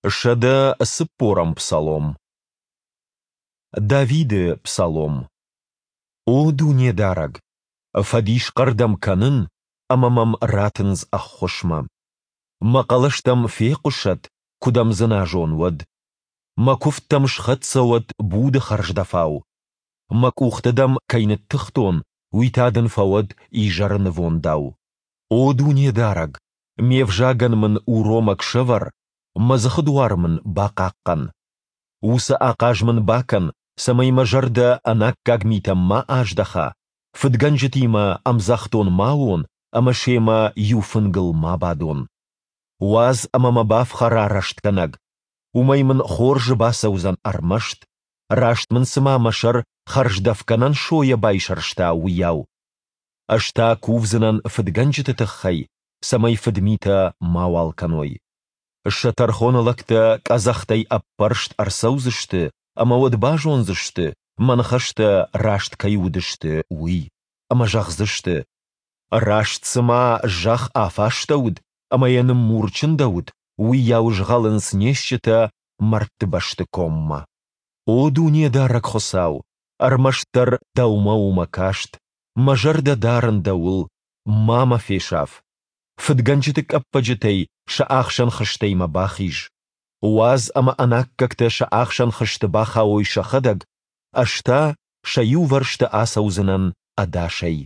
140-ӕм псалом. Давиды псалом. О Дунедарӕг, фӕдисхъӕр дӕм кӕнын, ӕмӕ мӕм ратындз ӕххуысмӕ. Мӕ хъӕлӕс дӕм фехъуысӕд, куы дӕм дзыназон, уӕд. Мӕ куывд дӕм схӕццӕ уӕд буды хӕрздӕфау. Мӕ къухтӕ дӕм кӕй ныттыхтон, уый та дын фӕуӕд изӕры нывондау. О Дунедарӕг, ме взагӕн мын уромӕг сӕвӕр, мӕ дзыхы дуар мын бахъахъхъӕн. Уыцы ахъаз мын бакӕн, цӕмӕй мӕ зӕрдӕ ӕнаккаг митӕм ма аздӕха, фыдгӕнджытимӕ ӕмдзӕхдон ма уон ӕмӕ семӕ иу фынгыл ма бадон. Уадз ӕмӕ мӕ бафхӕра рӕстгӕнӕг, уымӕй мын хорзы бацӕудзӕн ӕрмӕст, раст мын цыма мӕ сӕр хӕрздӕфгӕнӕн сойӕ байсӕрста, уыйау. Ӕз та кувдзынӕн фыдгӕнджыты тыххӕй, цӕмӕй фыдмитӕ мауал кӕной. Сӕ тӕрхоны лӕгтӕ къӕдзӕхтӕй ӕппӕрст ӕрцӕудзысты ӕмӕ уӕд базондзысты, мӕ ныхӕстӕ раст кӕй уыдысты, уый, ӕмӕ зӕгъдзысты, Раст цыма зӕхх афастӕуыд ӕмӕ йӕ ныммур чындӕуыд, уыйау згъӕлынц не стджытӕ мӕрдтыбӕсты коммӕ. О Дунедарӕг Хуыцау, ӕрмӕстдӕр Дӕумӕ у мӕ каст, мӕ зӕрдӕ дарын Дӕуыл, ма мӕ фесаф. Фыдгӕнджыты къӕппӕджытӕй сӕ ахсӕн хызтӕй мӕ бахиз. Уадз ӕмӕ ӕнаккӕгтӕ сӕ ахсӕн хызты бахауой сӕхӕдӕг, ӕз та сӕ иувӕрсты ацӕудзынӕн ӕдасӕй.